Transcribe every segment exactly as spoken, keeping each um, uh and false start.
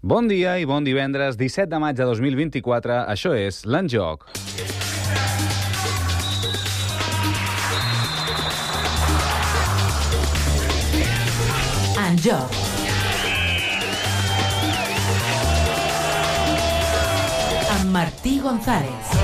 Bon dia i bon divendres, disset de maig de dos mil vint-i-quatre. Això és l'En Joc. En Joc. Amb Martí González.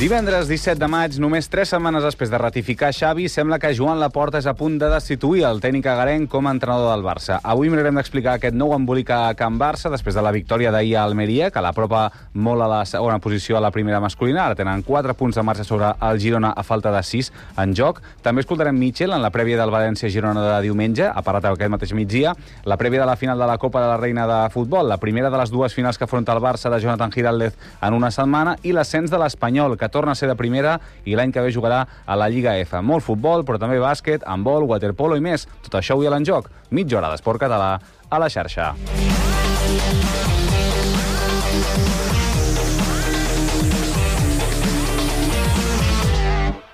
Divendres disset de maig, només tres setmanes després de ratificar Xavi, sembla que Joan Laporta és a punt de destituir el tècnic agarenc com a entrenador del Barça. Avui mirarem d'explicar aquest nou embolic a Can Barça després de la victòria d'ahir a Almeria, que l'apropa molt a la segona posició a la primera masculina. Ara tenen quatre punts de marxa sobre el Girona a falta de sis en joc. També escoltarem Michel en la prèvia del València-Girona de diumenge, ha parat aquest mateix migdia, la prèvia de la final de la Copa de la Reina de Futbol, la primera de les dues finals que afronta el Barça de Jonathan Giraldez en una setmana, i l'ascens de l'Espanyol, que torna a ser de primera i l'any que ve jugarà a la Lliga F. Molt futbol, però també bàsquet, handbol, waterpolo i més. Tot això avui a l'En Joc. Mitja hora d'esport català a la xarxa.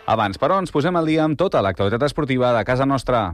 Abans, però, ens posem al dia amb tota l'actualitat esportiva de casa nostra.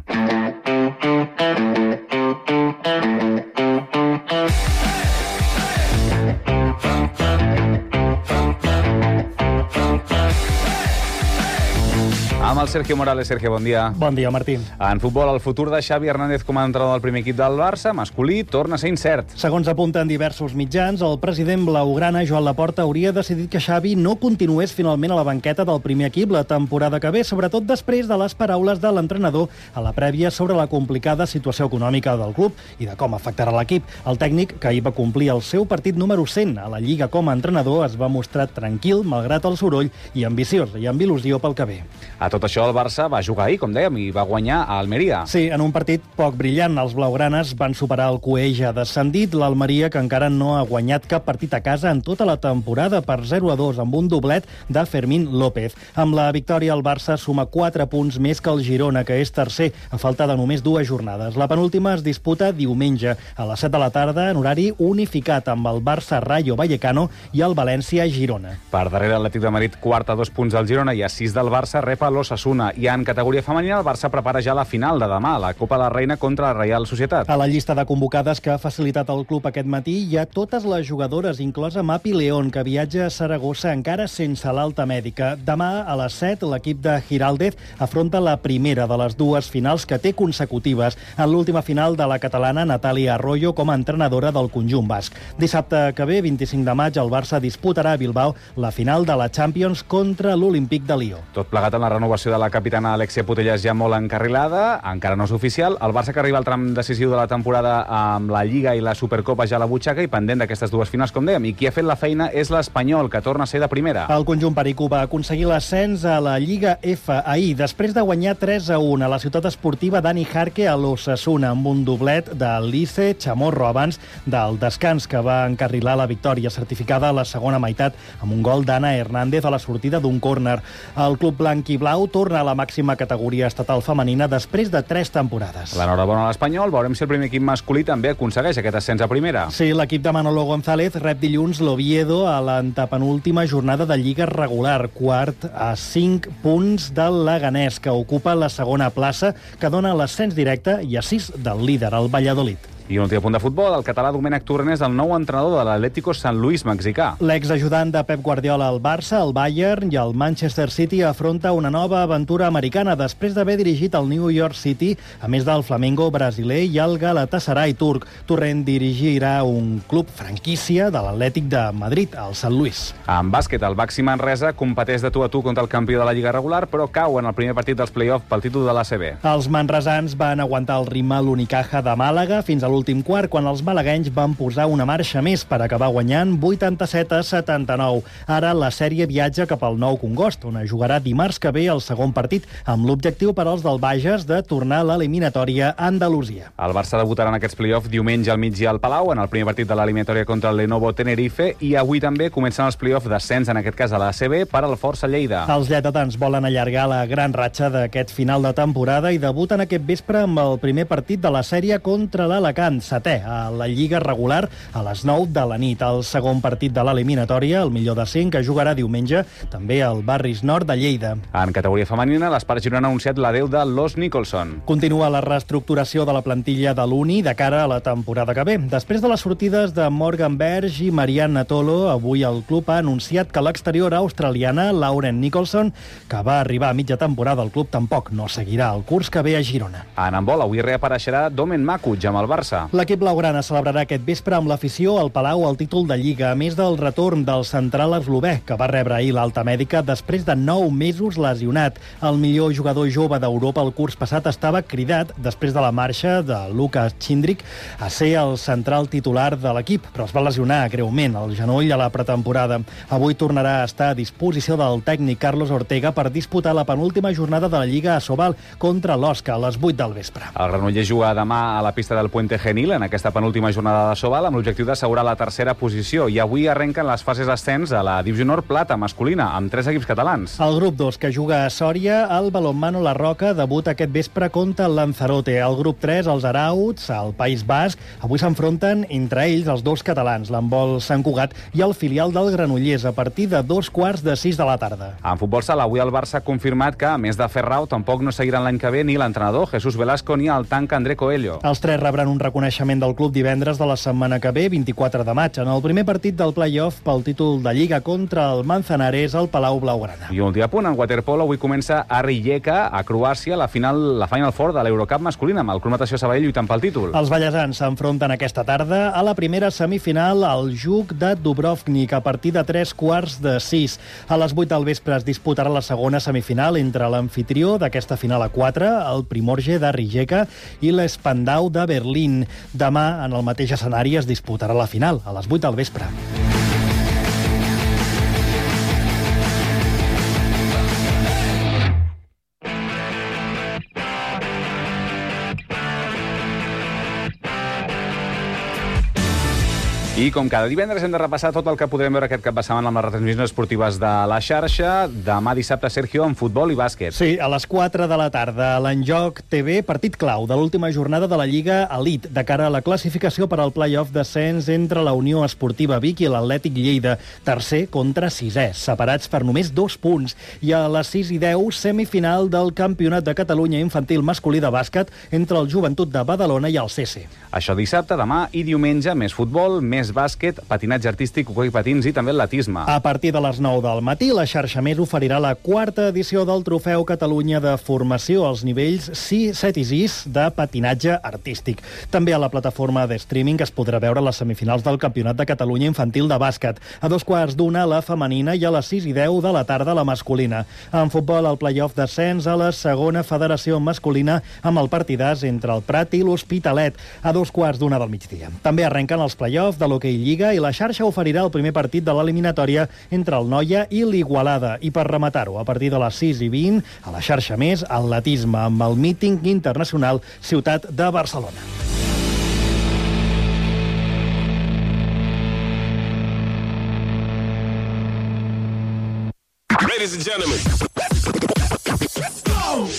Amb el Sergio Morales. Sergio, bon dia. Bon dia, Martí. En futbol, el futur de Xavi Hernández com a entrenador del primer equip del Barça, masculí, torna a ser incert. Segons apunten diversos mitjans, el president blaugrana, Joan Laporta, hauria decidit que Xavi no continués finalment a la banqueta del primer equip la temporada que ve, sobretot després de les paraules de l'entrenador a la prèvia sobre la complicada situació econòmica del club i de com afectarà l'equip. El tècnic, que ahir va complir el seu partit número cent a la Lliga com a entrenador, es va mostrar tranquil, malgrat el soroll, i ambiciós i amb il·lusió pel que ve. A tot això, el Barça va jugar ahir, com dèiem, i va guanyar a Almeria. Sí, en un partit poc brillant. Els blaugranes van superar el Cueja descendit, l'Almeria, que encara no ha guanyat cap partit a casa en tota la temporada, per zero a dos, amb un doblet de Fermín López. Amb la victòria, el Barça suma quatre punts més que el Girona, que és tercer, a falta de només dues jornades. La penúltima es disputa diumenge, a les set de la tarda, en horari unificat, amb el Barça Rayo Vallecano i el València Girona. Per darrere, l'Atlètic de Madrid, quart a dos punts del Girona i a sis del Barça, rep a l'Osasuna. I en categoria femenina, el Barça prepara ja la final de demà, la Copa de la Reina contra la Reial Societat. A la llista de convocades que ha facilitat el club aquest matí hi ha totes les jugadores, inclosa Mapi León, que viatja a Saragossa encara sense l'alta mèdica. Demà, a les set, l'equip de Giraldez afronta la primera de les dues finals que té consecutives. En l'última final de la catalana, Natàlia Arroyo com a entrenadora del conjunt basc. Dissabte que ve, vint-i-cinc de maig, el Barça disputarà a Bilbao la final de la Champions contra l'Olímpic de Lió. Tot plegat amb la renovació de la capitana Alexia Putellas ja molt encarrilada, encara no és oficial. El Barça, que arriba al tram decisiu de la temporada amb la Lliga i la Supercopa ja a la butxaca i pendent d'aquestes dues finals, com dèiem. I qui ha fet la feina és l'Espanyol, que torna a ser de primera. El conjunt pericú va aconseguir l'ascens a la Lliga F ahir, després de guanyar tres a un a la ciutat esportiva Dani Jarque a l'Osasuna, amb un doblet de Lice Chamorro abans del descans, que va encarrilar la victòria certificada a la segona meitat amb un gol d'Anna Hernández a la sortida d'un córner. El club blanc i blau torna a la màxima categoria estatal femenina després de tres temporades. L'enhorabona a l'Espanyol. Veurem si el primer equip masculí també aconsegueix aquest ascens a primera. Sí, l'equip de Manolo González rep dilluns l'Oviedo a l'antepenúltima jornada de Lliga regular, quart a cinc punts del Leganés, que ocupa la segona plaça, que dona l'ascens directe, i a sis del líder, el Valladolid. I un últim punt de futbol, el català Domènec Torrent és el nou entrenador de l'Atlético San Luis mexicà. L'exajudant de Pep Guardiola al Barça, el Bayern i el Manchester City afronta una nova aventura americana després d'haver dirigit el New York City, a més del Flamengo brasiler i el Galatasaray turc. Torrent dirigirà un club franquícia de l'Atlètic de Madrid, el San Luis. En bàsquet, el Baxi Manresa competeix de tu a tu contra el campió de la Lliga regular, però cau en el primer partit dels play-off pel títol de l'A C B. Els manresans van aguantar el ritme a l'Unicaja de Màlaga fins a l'últim quart, quan els malaguenys van posar una marxa més per acabar guanyant vuitanta-set a setanta-nou. Ara la sèrie viatja cap al Nou Congost, on jugarà dimarts que ve el segon partit, amb l'objectiu per als del Bages de tornar a l'eliminatòria a Andalusia. El Barça debutarà en aquests play-off diumenge al migdia al Palau, en el primer partit de l'eliminatòria contra el Lenovo Tenerife, i avui també comencen els play-off d'ascens, en aquest cas a la A C B, per al Força Lleida. Els lleidatans volen allargar la gran ratxa d'aquest final de temporada i debuten aquest vespre amb el primer partit de la sèrie contra l'Alacant. Gant, setè a la Lliga regular, a les nou de la nit. El segon partit de l'eliminatòria, el millor de cinc, que jugarà diumenge també al Barris Nord de Lleida. En categoria femenina, l'Espart Girona ha anunciat l'adeu de Los Nicholson. Continua la reestructuració de la plantilla de l'Uni de cara a la temporada que ve. Després de les sortides de Morgan Berg i Marianne Natolo, avui el club ha anunciat que l'exterior australiana, Lauren Nicholson, que va arribar a mitja temporada al club, tampoc no seguirà el curs que ve a Girona. En handbol, avui reapareixerà Domen Makuc amb el Barça. L'equip blaugrana celebrarà aquest vespre amb l'afició al Palau el títol de Lliga, a més del retorn del central eslové, que va rebre ahir l'alta mèdica després de nou mesos lesionat. El millor jugador jove d'Europa el curs passat estava cridat després de la marxa de Lukas Chindrik a ser el central titular de l'equip, però es va lesionar greument el genoll a la pretemporada. Avui tornarà a estar a disposició del tècnic Carlos Ortega per disputar la penúltima jornada de la Lliga a Sobal contra l'Osca a les vuit del vespre. El Granollers juga demà a la pista del Puente Genil en aquesta penúltima jornada de Sobal amb l'objectiu d'assegurar la tercera posició, i avui arrenquen les fases d'ascens a la Divisió Nord Plata masculina amb tres equips catalans. El grup dos, que juga a Sòria, el Balonmano La Roca debuta aquest vespre contra el Lanzarote. El grup tres, els Arauts, al País Basc, avui s'enfronten entre ells els dos catalans, l'handbol Sant Cugat i el filial del Granollers, a partir de dos quarts de sis de la tarda. En futbol sala, avui el Barça ha confirmat que, a més de Ferrao, tampoc no seguiran l'any que ve ni l'entrenador Jesús Velasco ni el tanc André Coelho. Els tres rebran un reconeixement del club divendres de la setmana que ve, vint-i-quatre de maig, en el primer partit del play-off pel títol de Lliga contra el Manzanares al Palau Blaugrana. I un últim apunt, en waterpolo, avui comença a Rijeka, a Croàcia, la final, la Final Four de l'Eurocup masculina, amb el Club Natació Sabadell lluitant pel títol. Els ballesans s'enfronten aquesta tarda a la primera semifinal al Juk de Dubrovnik a partir de tres quarts de sis. A les vuit del vespre es disputarà la segona semifinal entre l'amfitrió d'aquesta final a quatre, el Primorje de Rijeka, i l'Spandau de Berlín. Demà, en el mateix escenari, es disputarà la final, a les vuit del vespre. I com cada divendres hem de repassar tot el que podrem veure aquest cap de setmana amb les retransmissions esportives de la xarxa. Demà dissabte, Sergio, en futbol i bàsquet. Sí, a les quatre de la tarda, a l'Enjoc T V, partit clau de l'última jornada de la Lliga Elite, de cara a la classificació per al play-off d'ascens entre la Unió Esportiva Vic i l'Atlètic Lleida, tercer contra sisè, separats per només dos punts. I a les sis i deu, semifinal del Campionat de Catalunya Infantil Masculí de Bàsquet entre el Joventut de Badalona i el C C. Això dissabte, demà i diumenge, més futbol, més bàsquet, patinatge artístic, hoquei patins i també atletisme. A partir de les nou del matí, la xarxa Més oferirà la quarta edició del Trofeu Catalunya de Formació als nivells sis, set i sis de patinatge artístic. També a la plataforma de streaming es podrà veure les semifinals del Campionat de Catalunya Infantil de Bàsquet. A dos quarts d'una, la femenina, i a les sis i deu de la tarda, la masculina. En futbol, el play-off d'ascens a la segona federació masculina amb el partidàs entre el Prat i l'Hospitalet, a dos quarts d'una del migdia. També arrenquen els play-off de l'hoquei Lliga i la xarxa oferirà el primer partit de l'eliminatòria entre el Noia i l'Igualada. I per rematar-ho, a partir de les sis i vint, a la xarxa Més, atletisme amb el míting internacional Ciutat de Barcelona. Ladies and gentlemen, let's go!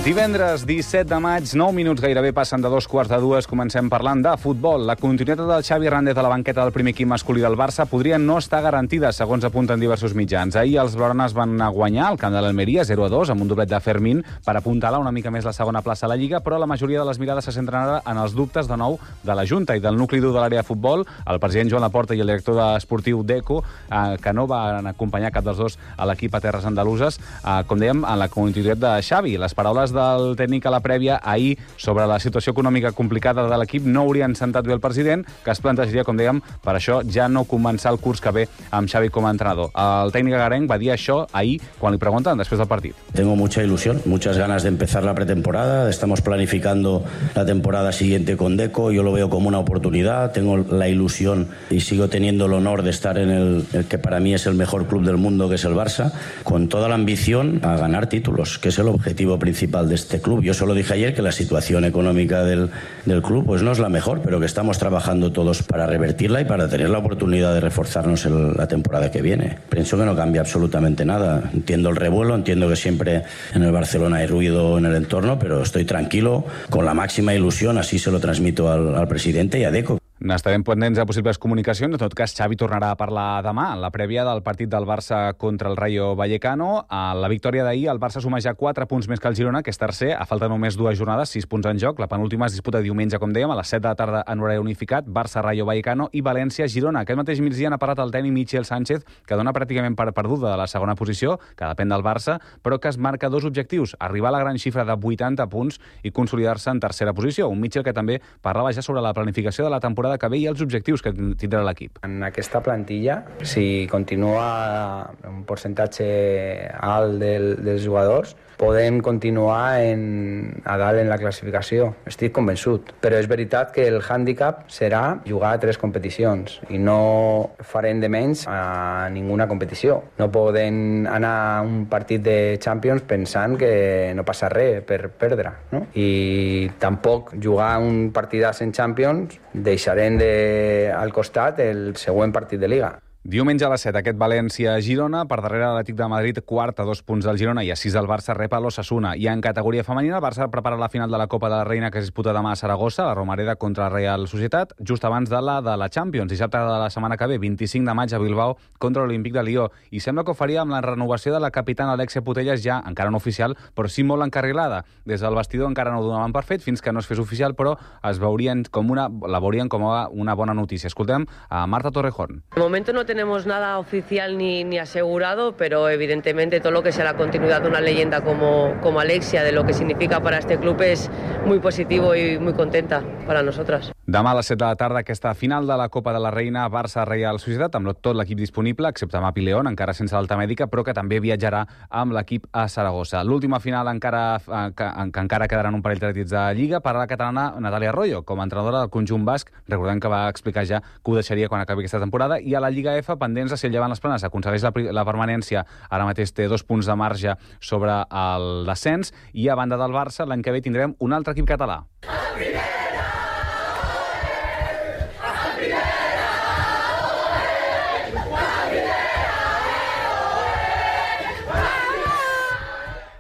Divendres disset de maig, nou minuts gairebé passen de dos quarts de dues, comencem parlant de futbol. La continuïtat del Xavi Hernández a la banqueta del primer equip masculí del Barça podria no estar garantida, segons apunten diversos mitjans. Ahir els blaugranes van guanyar al camp de l'Almeria zero a dos amb un doblet de Fermín per apuntalar una mica més la segona plaça a la Lliga, però la majoria de les mirades se centren ara en els dubtes de nou de la Junta i del nucli dur de l'àrea de futbol, el president Joan Laporta i el director esportiu Deco, eh, que no van acompanyar cap dels dos a l'equip a terres andaluses, eh, com dèiem, en la continuïtat de Xavi. Les paraules del tècnic a la prèvia ahir sobre la situació econòmica complicada de l'equip no haurien sentat bé el president, que es plantejaria, com dèiem, per això ja no començar el curs que ve amb Xavi com a entrenador. El tècnic agarenc va dir això ahir quan li pregunten després del partit. Tengo mucha ilusión, muchas ganas de empezar la pretemporada. Estamos planificando la temporada siguiente con Deco. Yo lo veo como una oportunidad. Tengo la ilusión y sigo teniendo el honor de estar en el, el que para mí es el mejor club del mundo, que es el Barça, con toda la ambición a ganar títulos, que es el objetivo principal actual de este club. Yo solo dije ayer que la situación económica del, del club pues no es la mejor, pero que estamos trabajando todos para revertirla y para tener la oportunidad de reforzarnos el, la temporada que viene. Pienso que no cambia absolutamente nada. Entiendo el revuelo, entiendo que siempre en el Barcelona hay ruido en el entorno, pero estoy tranquilo, con la máxima ilusión, así se lo transmito al, al presidente y a Deco. N'estarem pendents de possibles comunicacions. En tot cas, Xavi tornarà a parlar demà, en la prèvia del partit del Barça contra el Rayo Vallecano. A la victòria d'ahir, el Barça suma ja quatre punts més que el Girona, que és tercer. A falta només dues jornades, sis punts en joc. La penúltima es disputa diumenge, com dèiem, a les set de la tarda en horari unificat. Barça, Rayo Vallecano i València-Girona. Aquest mateix migdia n'ha parlat el tècnic Michel Sánchez, que dona pràcticament per perduda de la segona posició, que depèn del Barça, però que es marca dos objectius: arribar a la gran xifra de vuitanta punts i consolidar-se en tercera posició. Un Michel que també parlava ja sobre la planificació de la temporada que ve i els objectius que tindrà l'equip. En aquesta plantilla, si continua un percentatge alt del, dels jugadors, podem continuar en, a dalt en la classificació. Estic convençut. Però és veritat que el hàndicap serà jugar a tres competicions i no farem de menys a ninguna competició. No podem anar a un partit de Champions pensant que no passa res per perdre, no? I tampoc jugar un partidàs en Champions deixarem de, al costat el següent partit de Liga. Diumenge a les set, aquest València-Girona, per darrere l'Atlètic de Madrid, quart a dos punts del Girona i a sis del Barça, rep a l'Osasuna. I en categoria femenina, el Barça prepara la final de la Copa de la Reina que es disputa demà a Saragossa, la Romareda contra la Real Societat, just abans de la de la Champions, dissabte de la setmana que ve, vint-i-cinc de maig a Bilbao contra l'Olímpic de Lió. I sembla que ho faria amb la renovació de la capitana Alexia Putellas, ja encara no oficial, però sí molt encarrilada. Des del vestidor encara no ho donaven per fet fins que no es fes oficial, però es veurien com una, la veurien com una bona notícia. Escoltem a Marta Torrejón. De momento no tenemos nada oficial ni, ni asegurado, pero evidentemente todo lo que sea la continuidad de una leyenda como, como Alexia, de lo que significa para este club, es muy positivo y muy contenta para nosotras. Demà a les set de la tarda, aquesta final de la Copa de la Reina, Barça-Real Societat, amb tot l'equip disponible, excepte Mapi León, encara sense l'alta mèdica, però que també viatjarà amb l'equip a Saragossa. L'última final encara, que, que encara quedaran un parell de partits de Lliga per a la catalana Natàlia Arroyo, com a entrenadora del conjunt basc. Recordem que va explicar ja que ho deixaria quan acabi aquesta temporada. I a la Lliga F, pendents de si el Llevant les Planes aconsegueix la, la permanència, ara mateix té dos punts de marge sobre el descens, i a banda del Barça, l'any que ve tindrem un altre equip català.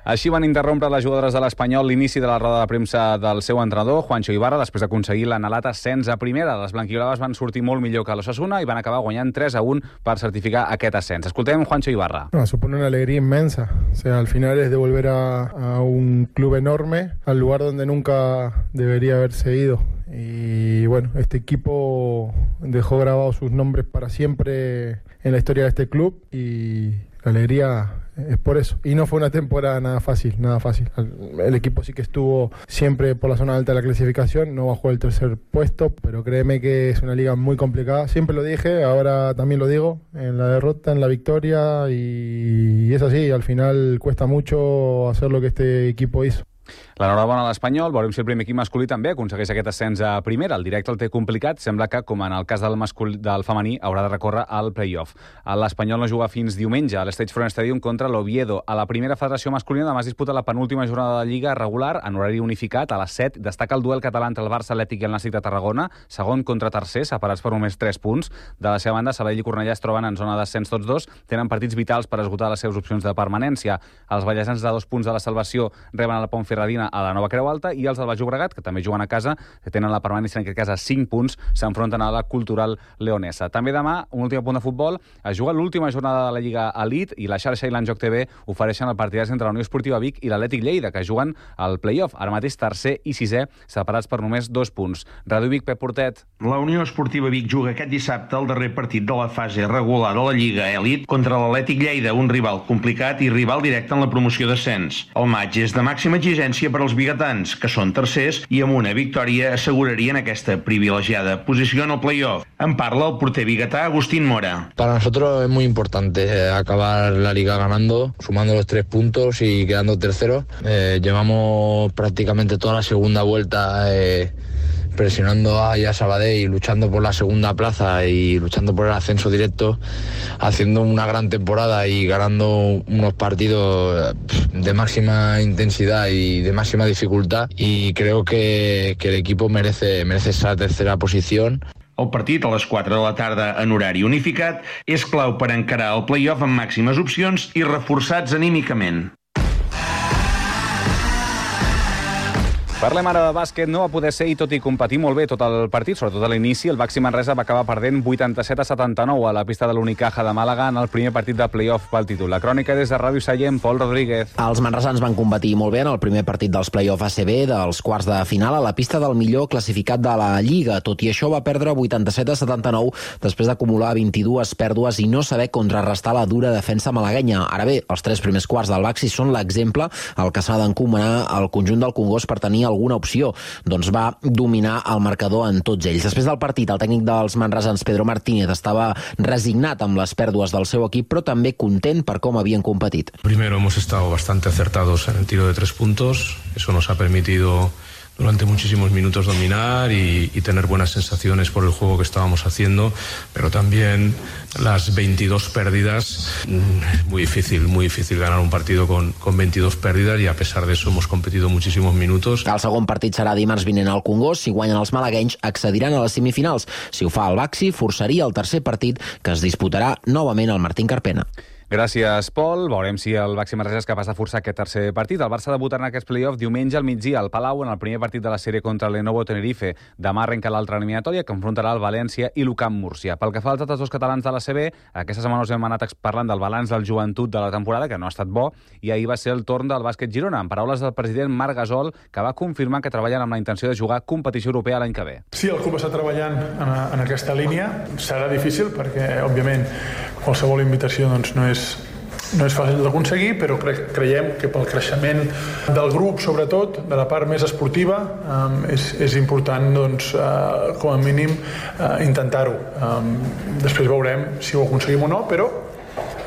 Així van interrompre les jugadores de l'Espanyol l'inici de la roda de premsa del seu entrenador, Juancho Ibarra, després d'aconseguir l'anhelat ascens a primera. Les blanquiblaves van sortir molt millor que l'Osasuna i van acabar guanyant tres a un per certificar aquest ascens. Escoltem Juancho Ibarra. No, supone una alegría inmensa. O sea, al final es de volver a, a un club enorme, al lugar donde nunca debería haberse ido. Y bueno, este equipo dejó grabados sus nombres para siempre en la historia de este club y la alegría es por eso. Y no fue una temporada nada fácil, nada fácil. El equipo sí que estuvo siempre por la zona alta de la clasificación, no bajó el tercer puesto, pero créeme que es una liga muy complicada. Siempre lo dije, ahora también lo digo, en la derrota, en la victoria, y, y es así, al final cuesta mucho hacer lo que este equipo hizo. L'enhorabona a l'Espanyol. Veurem si el primer equip masculí també aconsegueix aquest ascens a primera. El directe el té complicat. Sembla que, com en el cas del, masculí, del femení, haurà de recórrer al play-off. L'Espanyol no juga fins diumenge a l'Stage Front Stadium contra l'Oviedo. A la primera federació masculina demà es disputa la penúltima jornada de Lliga regular en horari unificat. A les set destaca el duel català entre el Barça Atlètic i el Nàstic de Tarragona, segon contra tercer, separats per només tres punts. De la seva banda, Sabadell i Cornellà es troben en zona d'ascens tots dos. Tenen partits vitals per esgotar les seves opcions de permanència. Els ballesans de dos punts de la salvació reben a la Pontferradina a la Nova Creu Alta, i els del Baix Llobregat, que també juguen a casa, que tenen la permanència en aquest cas a cinc punts, s'enfronten a la Cultural Leonesa. També demà, un últim punt de futbol, es juga l'última jornada de la Lliga Elite i la xarxa i l'Enjoc T V ofereixen el partidàs entre la Unió Esportiva Vic i l'Atlètic Lleida, que juguen al play-off, ara mateix tercer i sisè, separats per només dos punts. Ràdio Vic, Pep Portet. La Unió Esportiva Vic juga aquest dissabte el darrer partit de la fase regular de la Lliga Elite contra l'Atlètic Lleida, un rival complicat i rival directe en la promoció d'ascens. El maig és de màxima exigència per als biguetans, que són tercers i amb una victòria assegurarien aquesta privilegiada posició en el play-off. En parla el porter biguetà Agustín Mora. Para nosotros es muy importante acabar la liga ganando, sumando los tres puntos y quedando terceros. Eh, llevamos prácticamente toda la segunda vuelta eh, presionando a Sabadell y luchando por la segunda plaza y luchando por el ascenso directo, haciendo una gran temporada y ganando unos partidos de máxima intensidad y de máxima dificultad, y creo que, que el equipo merece, merece esa tercera posición. El partit a les quatre de la tarda en horari unificat és clau per encarar el play-off amb màximes opcions i reforçats anímicament. Parlem ara de bàsquet. No va poder ser, i tot i competir molt bé tot el partit, sobretot a l'inici, el Baxi Manresa va acabar perdent vuitanta-set a setanta-nou a la pista de l'Unicaja de Màlaga en el primer partit de play-off pel títol. La crònica des de Ràdio Sallent, Pol Rodríguez. Els manresans van competir molt bé en el primer partit dels play-off A C B dels quarts de final a la pista del millor classificat de la Lliga. Tot i això va perdre vuitanta-set a setanta-nou després d'acumular vint-i-dues pèrdues i no saber contrarrestar la dura defensa malaguenya. Ara bé, els tres primers quarts del Baxi són l'exemple al que s'ha d'encomanar al conjunt del Congost per tenir alguna opció. Doncs va dominar el marcador en tots ells. Després del partit, el tècnic dels manresans, Pedro Martínez, estava resignat amb les pèrdues del seu equip, però també content per com havien competit. Primero, hemos estado bastante acertados en el tiro de tres puntos. Eso nos ha permitido durante muchísimos minutos dominar y, y tener buenas sensaciones por el juego que estábamos haciendo, pero también las veintidós pérdidas. Es muy difícil, muy difícil ganar un partido con, con veintidós pérdidas, y a pesar de eso hemos competido muchísimos minutos. El segon partit serà dimarts vinent al Congost. Si guanyen els malaguenys, accediran a les semifinals. Si ho fa el Baxi, forçaria el tercer partit, que es disputarà novament al Martín Carpena. Gràcies, Pol. Veurem si el Baxi Manresa és capaç de forçar aquest tercer partit. El Barça debutarà en aquests play-off diumenge al migdia al Palau en el primer partit de la sèrie contra el Lenovo Tenerife. Demà arrenca l'altra eliminatòria, que enfrontarà el València i l'Ucamp Múrcia. Pel que fa als altres dos catalans de la C B, aquesta setmana us hem anat parlant del balanç del Joventut de la temporada, que no ha estat bo, i ahir va ser el torn del bàsquet Girona, amb paraules del president Marc Gasol, que va confirmar que treballen amb la intenció de jugar competició europea l'any que ve. Sí, el club està treballant en, en aquesta línia. Serà difícil perquè, òbviament, qualsevol invitació doncs, no és No és fàcil d'aconseguir, però cre creiem que pel creixement del grup, sobretot, de la part més esportiva, um, és, és important, doncs, uh, com a mínim, uh, intentar-ho. Um, després veurem si ho aconseguim o no, però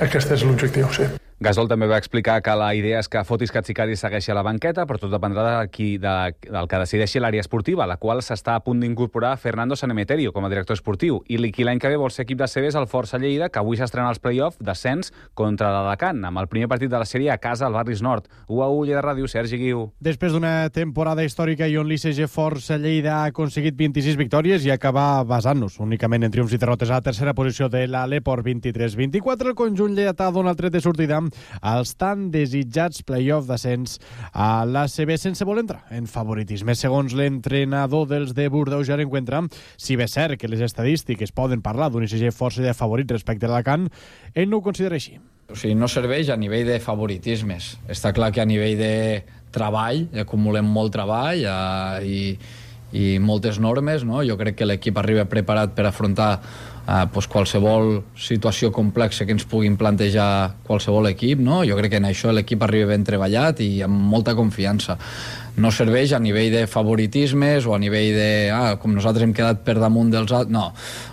aquest és l'objectiu, sí. Gasol també va explicar que la idea és que Fotis Katsikadis segueixi a la banqueta, però tot dependrà de qui, de, del que decideixi l'àrea esportiva, la qual s'està a punt d'incorporar Fernando Sanemeterio com a director esportiu. I qui l'any que ve vol ser equip de C B és el Força Lleida, que avui s'estrena als play-off descens contra l'Alacant, amb el primer partit de la sèrie a casa al Barris Nord. u a u, Lleida Ràdio, Sergi Guiu. Després d'una temporada històrica i on l'I C G Força Lleida ha aconseguit vint-i-sis victòries i acaba basant-nos únicament en triomfs i derrotes a la tercera posició de l'Aleport vint-i-tres vint-i-quatre, el conjunt lleidatà dona el tret de sortida als tan desitjats play-off d'ascens a l'A C B sense voler entrar en favoritisme. Segons l'entrenador dels de Bordeus, ja l'encuentra, si bé és cert que les estadístiques poden parlar d'un I C G força de favorit respecte a l'Alacant, ell no ho considera així. O sigui, no serveix a nivell de favoritismes. Està clar que a nivell de treball, acumulem molt treball eh, i, i moltes normes, no? Jo crec que l'equip arriba preparat per afrontar eh, pues qualsevol situació complexa que ens puguin plantejar qualsevol equip, no? Jo crec que en això l'equip arriba ben treballat i amb molta confiança. No serveix a nivell de favoritismes o a nivell de, ah, com nosaltres hem quedat per damunt dels altres, no.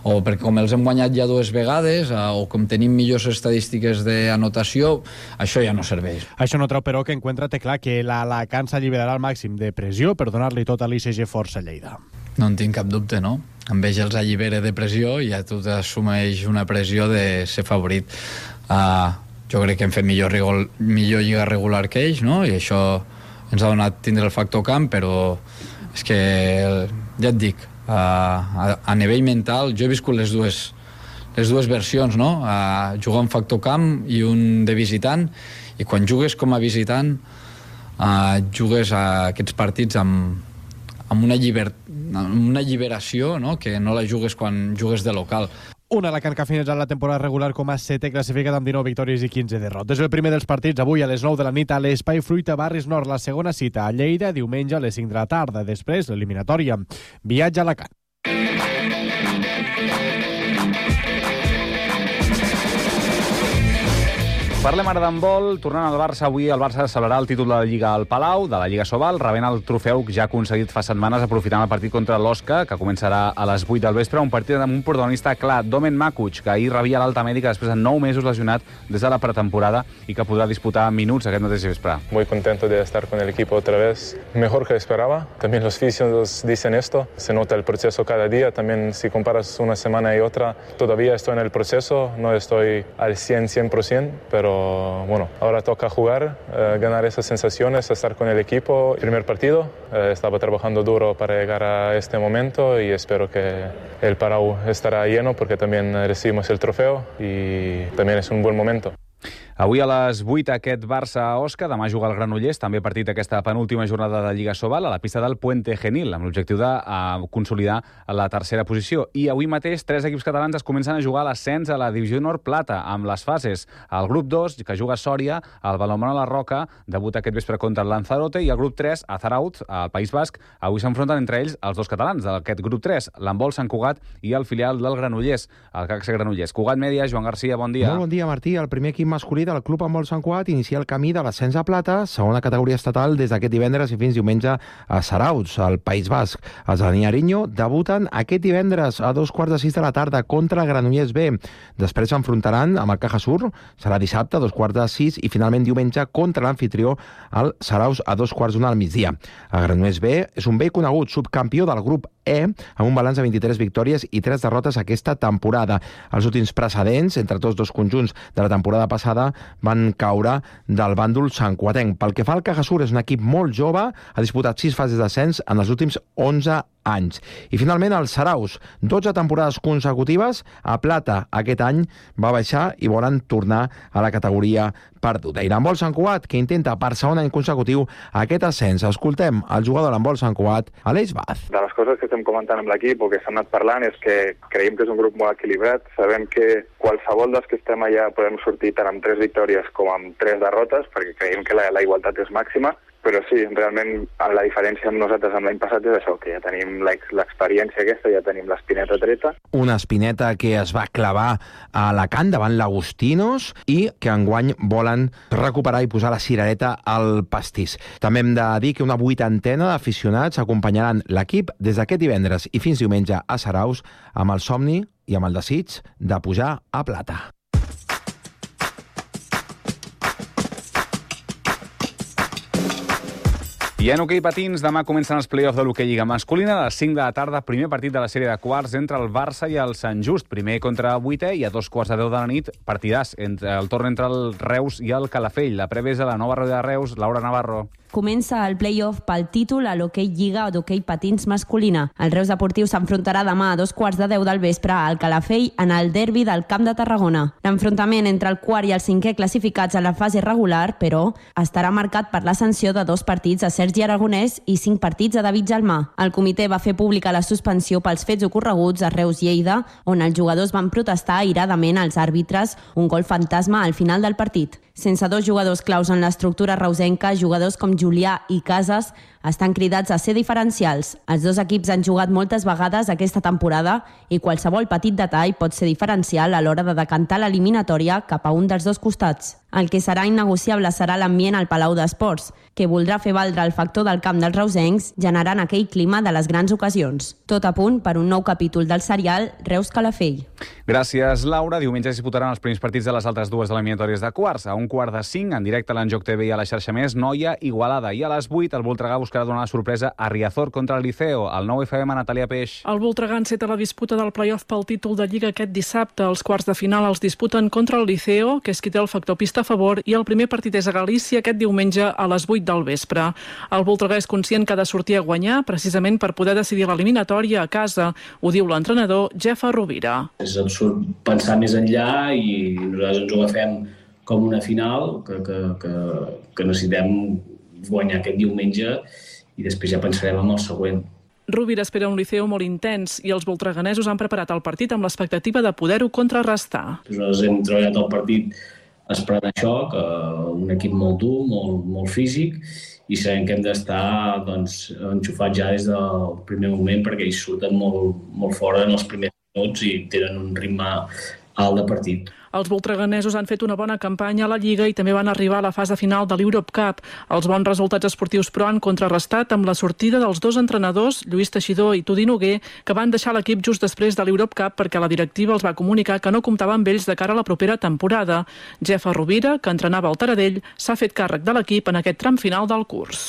O perquè com els hem guanyat ja dues vegades, eh, o com tenim millors estadístiques d'anotació, això ja no serveix. Això no treu, però, que Encuentra té clar que l'Alacant s'alliberarà al màxim de pressió per donar-li tot a l'I C G Força Lleida. No en tinc cap dubte, no? Amb ells els allibera de pressió i ja tu t'assumeix una pressió de ser favorit. Uh, jo crec que hem fet millor, rigol, millor lliga regular que ells, no? I això ens ha donat tindre el factor camp, però és que, ja et dic, uh, a, a nivell mental, jo he viscut les dues, les dues versions, no? Uh, jugar un factor camp i un de visitant, i quan jugues com a visitant, uh, jugues a aquests partits amb, amb una, lliber, amb una alliberació, no? Que no la jugues quan jugues de local. Un Alacant que ha finalitzat la temporada regular com a setè classificat amb dinou victòries i quinze derrotes. El primer dels partits avui a les nou de la nit a l'Espai Fruita Barris Nord. La segona cita a Lleida, diumenge a les cinc de la tarda. Després, l'eliminatòria. Viatge a Alacant. Parlem ara d'handbol. Tornant al Barça, avui el Barça celebrarà el títol de la Lliga al Palau, de la Lliga Sobal, rebent el trofeu ja aconseguit fa setmanes aprofitant el partit contra l'Osca, que començarà a les vuit del vespre, un partit amb un protagonista clar, Domen Makuc, que ahir rebia l'alta mèdica després de nou mesos lesionat des de la pretemporada i que podrà disputar minuts aquest mateix vespre. Muy contento de estar con el equipo otra vez, mejor que esperaba. También los fisios dicen esto, se nota el proceso cada día, también si comparas una semana y otra, todavía estoy en el proceso, no estoy al cien, cien por ciento, pero bueno, ahora toca jugar, eh, ganar esas sensaciones, estar con el equipo. Primer partido, eh, estaba trabajando duro para llegar a este momento y espero que el Palau estará lleno porque también recibimos el trofeo y también es un buen momento. Avui a les vuit aquest Barça-Osca, demà juga el Granollers, també partit aquesta penúltima jornada de Lliga Sobal a la pista del Puente Genil, amb l'objectiu de uh, consolidar la tercera posició. I avui mateix tres equips catalans es comencen a jugar a l'ascens a la Divisió Nord Plata, amb les fases. El grup dos, que juga a Sòria, el Balonmano La Roca, debuta aquest vespre contra el Lanzarote, i el grup tres, a Zarautz, al País Basc, avui s'enfronten entre ells els dos catalans d'aquest grup tres, l'Handbol Sant Cugat i el filial del Granollers, el C A C S Granollers. Cugat Mèdia, Joan Garcia, bon dia. Molt bon dia, Martí. El primer equip masculí del Club Handbol Sant Cugat inicia el camí de l'ascens a plata, segona categoria estatal, des d'aquest divendres i fins diumenge a Zarautz, al País Basc. Els de Niariño debuten aquest divendres a dos quarts de sis de la tarda contra Granollers B. Després s'enfrontaran amb el Caja Sur, serà dissabte a dos quarts de sis i finalment diumenge contra l'anfitrió al Zarautz a dos quarts d'una al migdia. El Granollers B és un vell conegut subcampió del grup E, amb un balanç de vint-i-tres victòries i tres derrotes aquesta temporada. Els últims precedents entre tots dos conjunts de la temporada passada van caure del bàndol santcuatenc. Pel que fa al Caja Sur, és un equip molt jove, ha disputat sis fases d'ascens en els últims onze anys. I finalment el Zarautz, dotze temporades consecutives, a plata aquest any va baixar i volen tornar a la categoria perduda. I l'Handbol Sant Cugat, que intenta per segon any consecutiu aquest ascens. Escoltem el jugador de l'Handbol Sant Cugat, Aleix Baz. De les coses que estem comentant amb l'equip o que s'han anat parlant és que creiem que és un grup molt equilibrat. Sabem que qualsevol dels que estem allà podem sortir tant amb tres victòries com amb tres derrotes, perquè creiem que la, la igualtat és màxima. Però sí, realment la diferència amb nosaltres amb l'any passat és això, que ja tenim l'experiència aquesta, ja tenim l'espineta treta. Una espineta que es va clavar a Alacant davant l'Agostinos i que enguany volen recuperar i posar la cirereta al pastís. També hem de dir que una vuitantena d'aficionats acompanyaran l'equip des d'aquest divendres i fins diumenge a Zarautz amb el somni i amb el desig de pujar a plata. I en hoquei patins, demà comencen els play-offs de l'hoquei Lliga masculina a les cinc de la tarda, primer partit de la sèrie de quarts entre el Barça i el Sant Just, primer contra vuitè i a dos quarts de deu de la nit, partidàs, entre el torn entre el Reus i el Calafell. La prèvia és a la nova roda de Reus, Laura Navarro. Comença el play-off pel títol a l'hoquei Lliga d'hoquei patins masculina. El Reus Deportiu s'enfrontarà demà a dos quarts de deu del vespre al Calafell en el derbi del Camp de Tarragona. L'enfrontament entre el quart i el cinquè classificats a la fase regular, però, estarà marcat per la sanció de dos partits a Sergi Aragonès i cinc partits a David Gelmà. El comitè va fer pública la suspensió pels fets ocorreguts a Reus-Lleida, on els jugadors van protestar airadament als àrbitres un gol fantasma al final del partit. Sense dos jugadors claus en l'estructura reusenca, jugadors com Julià i Casas estan cridats a ser diferencials. Els dos equips han jugat moltes vegades aquesta temporada i qualsevol petit detall pot ser diferencial a l'hora de decantar l'eliminatòria cap a un dels dos costats. El que serà innegociable serà l'ambient al Palau d'Esports, que voldrà fer valdre el factor del camp dels reusencs, generant aquell clima de les grans ocasions. Tot a punt per un nou capítol del serial Reus-Calafell. Gràcies, Laura. Diumenge es disputaran els primers partits de les altres dues eliminatòries de quarts. A un quart de cinc, en directe a l'Enjoc T V i a la xarxa Més, Noia, Igualada. I a les vuit, el Voltregà buscarà donar la sorpresa a Riazor contra el Liceo. El nou F M, Natàlia Peix. El Voltregà enceta la disputa del play-off pel títol de Lliga aquest dissabte. Els quarts de final els disputen contra el Liceo, que és qui té el factor pista a favor, i el primer partit és a Galícia aquest diumenge a les vuit del vespre. El Voltregà és conscient que ha de sortir a guanyar, precisament per poder decidir l'eliminatòria a casa. Ho diu l'entrenador Jefa Rovira. És absurd pensar més enllà i nosaltres ens ho agafem com una final que, que, que, que necessitem guanyar aquest diumenge i després ja pensarem en el següent. Rovira espera un Liceo molt intens i els voltreganesos han preparat el partit amb l'expectativa de poder-ho contrarrestar. Nosaltres hem treballat el partit esperant això, que un equip molt dur, molt, molt físic, i sabem que hem d'estar doncs, enxufats ja des del primer moment perquè ells surten molt, molt fora en els primers minuts i tenen un ritme alt de partit. Els voltreganesos han fet una bona campanya a la Lliga i també van arribar a la fase final de l'Europe Cup. Els bons resultats esportius, però, han contrarrestat amb la sortida dels dos entrenadors, Lluís Teixidor i Tudi Noguer, que van deixar l'equip just després de l'Europe Cup perquè la directiva els va comunicar que no comptava amb ells de cara a la propera temporada. Jefa Rovira, que entrenava el Taradell, s'ha fet càrrec de l'equip en aquest tram final del curs.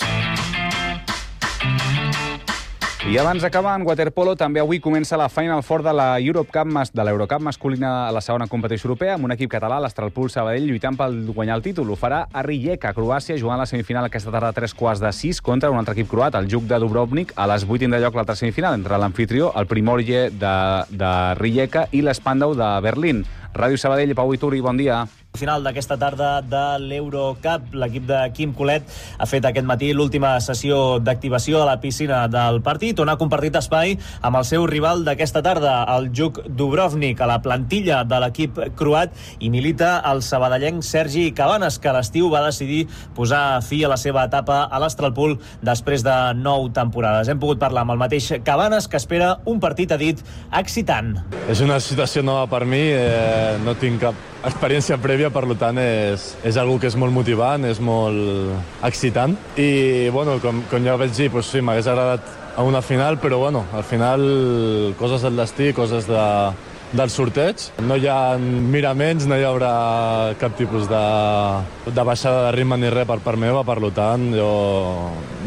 I abans d'acabar, en waterpolo, també avui comença la Final Four de la Europe Cup, de l'Eurocup masculina a la segona competició europea, amb un equip català, l'Astralpool Sabadell, lluitant per guanyar el títol. Ho farà a Rijeka, a Croàcia, jugant la semifinal aquesta tarda a tres quarts de sis contra un altre equip croat, el Juk de Dubrovnik. A les vuit tindrà lloc l'altra semifinal entre l'anfitrió, el Primorje de, de Rijeka, i l'Spandau de Berlín. Ràdio Sabadell, Pau Ituri, bon dia. Final d'aquesta tarda de l'Eurocup. L'equip de Quim Colet ha fet aquest matí l'última sessió d'activació a la piscina del partit, on ha compartit espai amb el seu rival d'aquesta tarda, el Juk Dubrovnik. A la plantilla de l'equip croat i milita el sabadellenc Sergi Cabanes, que a l'estiu va decidir posar fi a la seva etapa a l'Astralpool després de nou temporades. Hem pogut parlar amb el mateix Cabanes, que espera un partit, ha dit, excitant. És una situació nova per mi, eh, no tinc cap experiència prèvia, per tant és, és algo que és molt motivant, és molt excitant i bueno, com, com ja vaig dir, doncs sí, m'hagués agradat a una final, però bueno, al final coses del destí, coses de, del sorteig. No hi ha miraments, no hi haurà cap tipus de, de baixada de ritme ni res per part meva, per tant jo,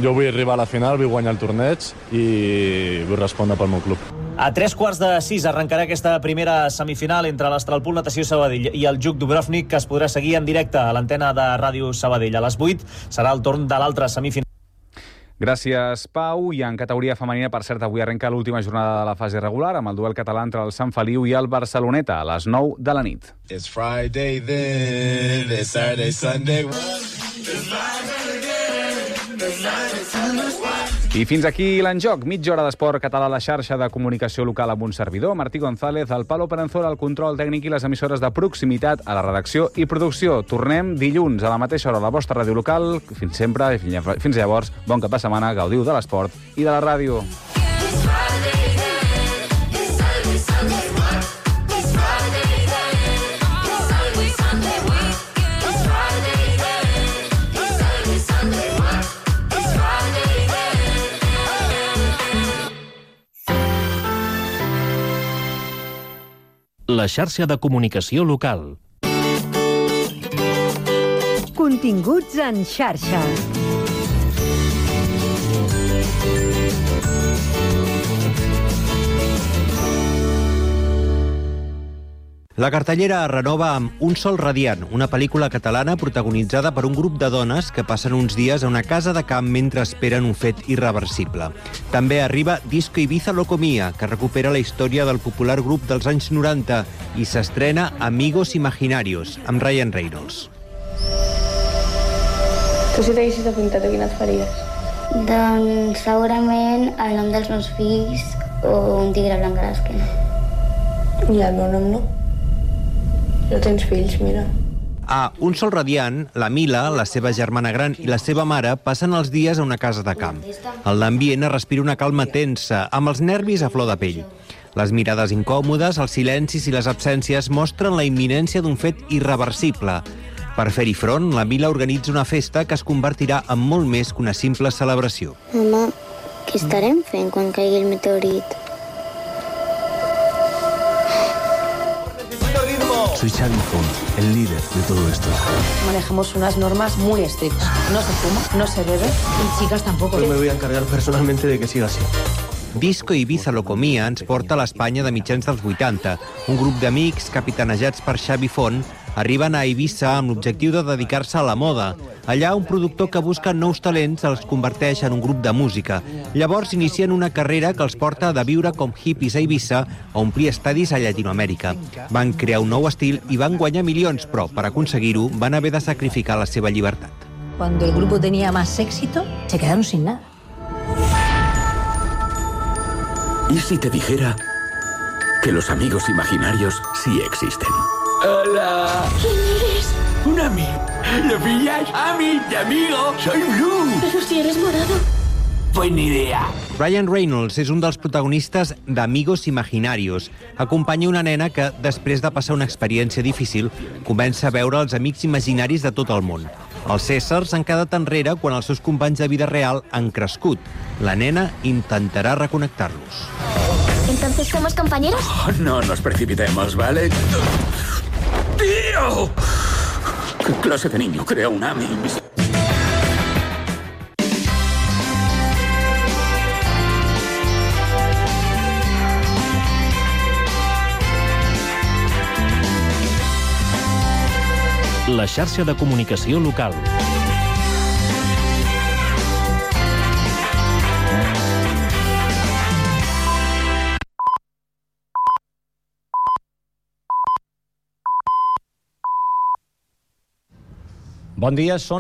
jo vull arribar a la final, vull guanyar el torneig i vull respondre pel meu club. A tres quarts de sis arrencarà aquesta primera semifinal entre l'Astralpool Natació Sabadell i el Juk Dubrovnik, que es podrà seguir en directe a l'antena de Ràdio Sabadell. A les vuit serà el torn de l'altra semifinal. Gràcies, Pau. I en categoria femenina, per cert, avui arrenca l'última jornada de la fase regular amb el duel català entre el Sant Feliu i el Barceloneta a les nou de la nit. It's Friday then, it's Saturday, Sunday. It's Friday again, it's Saturday, Sunday. I fins aquí l'enjoc. Mitja hora d'esport català a la xarxa de comunicació local amb un servidor, Martí González, el Palo Perenzola, el control tècnic i les emissores de proximitat a la redacció i producció. Tornem dilluns a la mateixa hora a la vostra ràdio local. Fins sempre i fins llavors, bon cap de setmana, gaudiu de l'esport i de la ràdio. La xarxa de comunicació local. Continguts en xarxa. La cartellera es renova amb Un sol radiant, una pel·lícula catalana protagonitzada per un grup de dones que passen uns dies a una casa de camp mentre esperen un fet irreversible. També arriba Disco Ibiza Locomia, que recupera la història del popular grup dels anys noranta, i s'estrena Amigos Imaginarios, amb Ryan Reynolds. Tu si t'haguessis apuntat, quina et faries? Doncs segurament el nom dels meus fills o un tigre blanc a l'esquena. I el meu nom no. No tens fills, mira. A Un sol radiant, la Mila, la seva germana gran i la seva mare passen els dies a una casa de camp. En l'ambient es respira una calma tensa, amb els nervis a flor de pell. Les mirades incòmodes, els silencis i les absències mostren la imminència d'un fet irreversible. Per fer-hi front, la Mila organitza una festa que es convertirà en molt més que una simple celebració. Mama, què estarem fent quan caigui el meteorit? Soy Xavi Font, el líder de todo esto. Manejamos unas normas muy estrictas. No se fuma, no se bebe y chicas tampoco. Yo me voy a encargar personalmente de que siga así. Disco Ibiza Locomia ens porta a l'Espanya de mitjans dels vuitanta. Un grup d'amics, capitanejats per Xavi Font, arriben a Eivissa amb l'objectiu de dedicar-se a la moda. Allà, un productor que busca nous talents els converteix en un grup de música. Llavors inicien una carrera que els porta de viure com hippies a Eivissa a omplir estadis a Llatinoamèrica. Van crear un nou estil i van guanyar milions, però per aconseguir-ho van haver de sacrificar la seva llibertat. Cuando el grupo tenía más éxito, se quedaron sin nada. ¿Y si te dijera que los amigos imaginarios sí existen? ¡Hola! ¿Quién eres? ¡Un amigo! ¿Lo pillas? ¡Ami, de amigo! ¡Soy Blue! Pero si eres morado. Pues ni idea. Ryan Reynolds és un dels protagonistes d'Amigos Imaginarios. Acompanya una nena que, després de passar una experiència difícil, comença a veure els amics imaginaris de tot el món. Els éssers han quedat enrere quan els seus companys de vida real han crescut. La nena intentarà reconnectar-los. ¿Entonces somos compañeros? Oh, no nos precipitemos, ¿vale? ¡Tío! ¿Qué clase de niño crea un Ami? La xarxa de comunicació local. Bon dia, són